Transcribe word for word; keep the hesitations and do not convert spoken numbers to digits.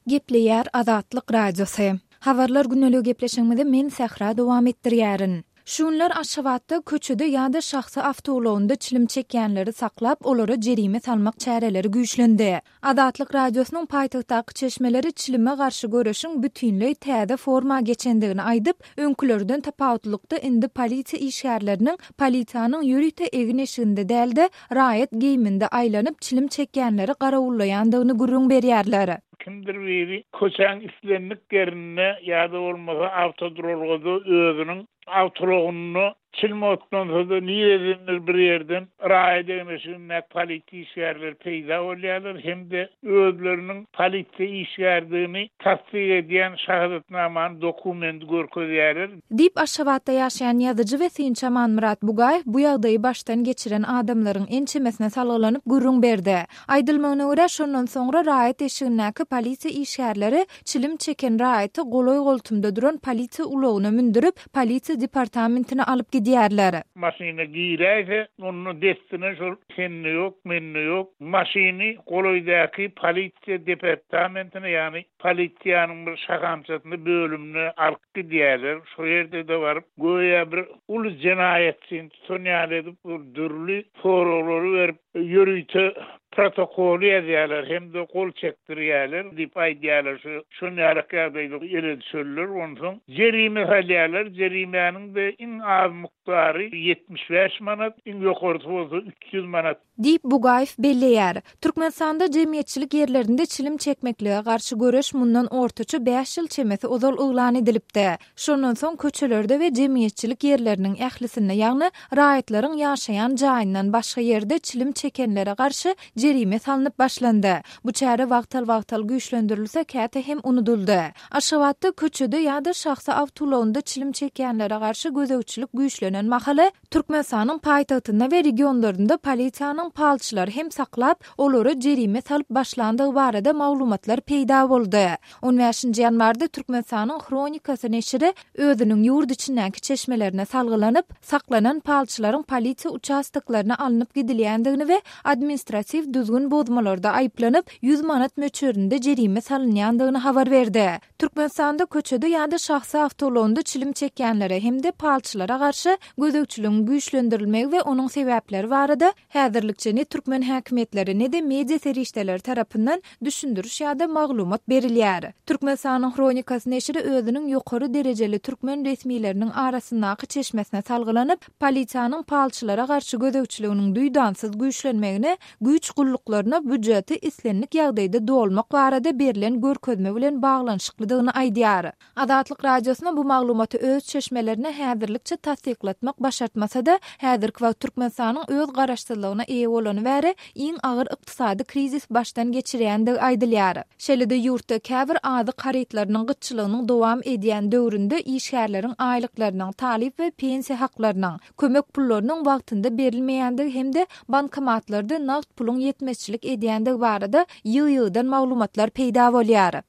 Gepleýär Azatlyk Radiosy. Habarlar güneligi gepleşigimizi men Sähra dowam etdirýärin. Şu günler Aşgabatda köçede ýa-da şahsy awtoulagynda çilim çekýänleri saklap, olara jerime salmak çäreleri güýçlendi. Azatlyk Radiosynyň paýtagtdaky çeşmeleri çilime garşy göreşiň bütinleý täze forma geçendigini aýdyp, öňkülerden tapawutlykda indi polisiýa işgärleriniň polisiýanyň ýörite egin-eşiginde däl-de, raýat geýiminde aýlanyp çilim çekýänleri garawullaýandygyny gürrüň berýärler. Kimdir biri köçäň islendik ýerinde ýa-da bolmasa awtoduralgada özüniň awtoulagynda çilim otlansa-da niredendir bir ýerden raýat egin-eşigindäki polisiýa işgärleri peýda bolýarlar hem-de özleriniň polisiýa işgärdigini tassyk edýän şahadatnamany dokumenti görkezýärler. Diýip Aşgabatda ýaşaýan ýazyjy we synçy Amanmyrat Bugaýew bu ýagdaýy başdan geçiren adamlaryň ençemesine salgylanyp gürrüň berdi. Aýdylmagyna görä, şondan soňra raýat eşigindäki polisiýa işgärleri çilim çeken raýaty golaý-goltumda duran polisiýa ulagyna mündürip, polisiýa departamentine alyp gidýärler. Maşyna giräýse, onda dessine şol sende ýok, mende ýok. Maşyny golaýdaky polisiýa departamentine, ýagny polisiýanyň bir şahamçasyna bölümine alyp gidýärler. Şo ýerde-de baryp, göýä bir uly jenaýatçyny tutan ýaly edip, dürli soraglary berip, ýörite protokoly ýazýarlar hem-de gol çekdirýärler diýip aýdýarlar. Şu şon ýaly ýagdaýda ele düşerler. Onsoň jerime salýarlar. Jerimäniň-de iň az mukdary ýetmiş bäş manat, iň ýokarysy bolsa üç ýüz manat. Diýip Bugaýew belleýär. Türkmenistanda jemgyýetçilik ýerlerinde çilim çekmeklige garşy göreş mundan ortaça bäş ýyl çemesi ozal yglan edilipdi. Şondan soň köçelerde we jemgyýetçilik ýerleriniň ählisinde, ýagny raýatlaryň ýaşaýan jaýyndan başga ýerde çilim çekenlere garşy jerime salnyp başlandy. Bu çäre wagtal-wagtal güýçlendirilse, käte hem unudyldy. Aşgabatda köçede ýa-da şahsy awtoulagynda çilim çekýänlere garşy gözegçilik güýçlenen mahaly Türkmenistanyň paýtagtynda we regionlarynda polisiýanyň palçylary hem saklap, olara jerime salyp başlandygy barada maglumatlar peýda boldy. On bäşinji ýanwarda Türkmenistanyň Hronikasy neşiri özüniň ýurt içindäki çeşmelerine salgylanyp, saklanan palçylaryň polisiýa uçastoklaryna alnyp gidilýändigini we administratiw düzgün bozmalarda aýyplanyp, ýüz manat möçberinde jerime salynýandygyny habar berdi. Türkmenistanda köçede ýa-da şahsy awtoulagynda çilim çekýänlere hem-de palçylara garşy gözegçiligiň güýçlendirilmegi we onuň sebäpleri barada häzirlikçe ne türkmen häkimiýetleri, ne-de media serişdeleri tarapyndan düşündiriş ýa-da maglumat berilýär. Türkmenistanyň Hronikasy neşiri özüniň ýokary derejeli türkmen resmileriniň arasyndaky çeşmesine salgylanyp, polisiýanyň palçylara garşy gözegçiliginiň duýdansyz güýçlenmegine güýç gulluklaryna býujeti islendik ýagdaýda dolmak barada berlen görkezme bilen baglanyşyklydygyny aýdýar. Azatlyk Radiosyna bu maglumaty öz çeşmelerine häzirlikçe tassyklatmak başartmasa-da, häzirki wagt Türkmenistanyň öz garaşsyzlygyna eýe bolany bäri iň agyr ykdysady krizis başdan geçirýändigi aýdylýar. Şeýle-de ýurtda käbir azyk harytlarynyň gytçylygynyň dowam edýän döwründe işgärleriň aýlyklarynyň, talyp we pensiýa haklarynyň, kömek pullarynyň wagtynda berilmeýändigi hem-de bankomatlarda nagt puluň ýetmezçilik edýändigi barada ýygy-ýygydan maglumatlar peýda bolýar.